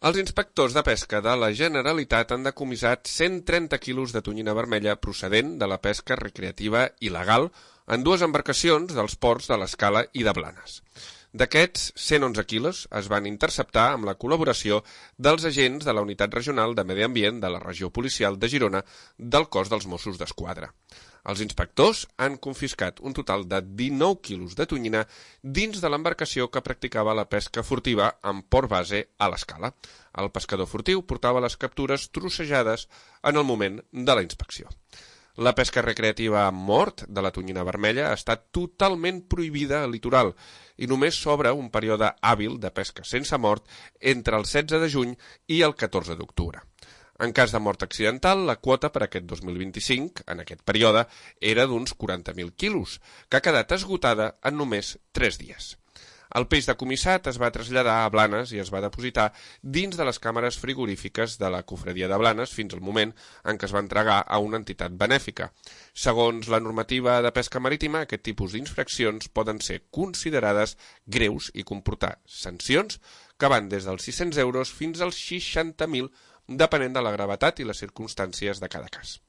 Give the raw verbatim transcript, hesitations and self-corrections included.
Els inspectors de pesca de la Generalitat han decomissat cent trenta quilos de tonyina vermella procedent de la pesca recreativa il·legal en dues embarcacions dels ports de l'Escala i de Blanes. D'aquests, cent onze quilos es van interceptar amb la col·laboració dels agents de la Unitat Regional de Medi Ambient de la Regió Policial de Girona del Cos dels Mossos d'Esquadra. Els inspectors han confiscat un total de dinou quilos de tonyina dins de l'embarcació que practicava la pesca furtiva en port base a l'Escala. El pescador furtiu portava les captures trossejades en el moment de la inspecció. La pesca recreativa amb mort de la tonyina vermella ha estat totalment prohibida al litoral i només s'obre un període hàbil de pesca sense mort entre el setze de juny i el catorze d'octubre. En cas de mort accidental, la quota per aquest dos mil vint-i-cinc, en aquest període, era d'uns quaranta mil quilos, que ha quedat esgotada en només tres dies. El peix decomissat es va traslladar a Blanes i es va depositar dins de les càmeres frigorífiques de la Cofradia de Blanes fins al moment en què es va entregar a una entitat benèfica. Segons la normativa de pesca marítima, aquest tipus d'infraccions poden ser considerades greus i comportar sancions que van des dels sis-cents euros fins als seixanta mil, depenent de la gravetat i les circumstàncies de cada cas.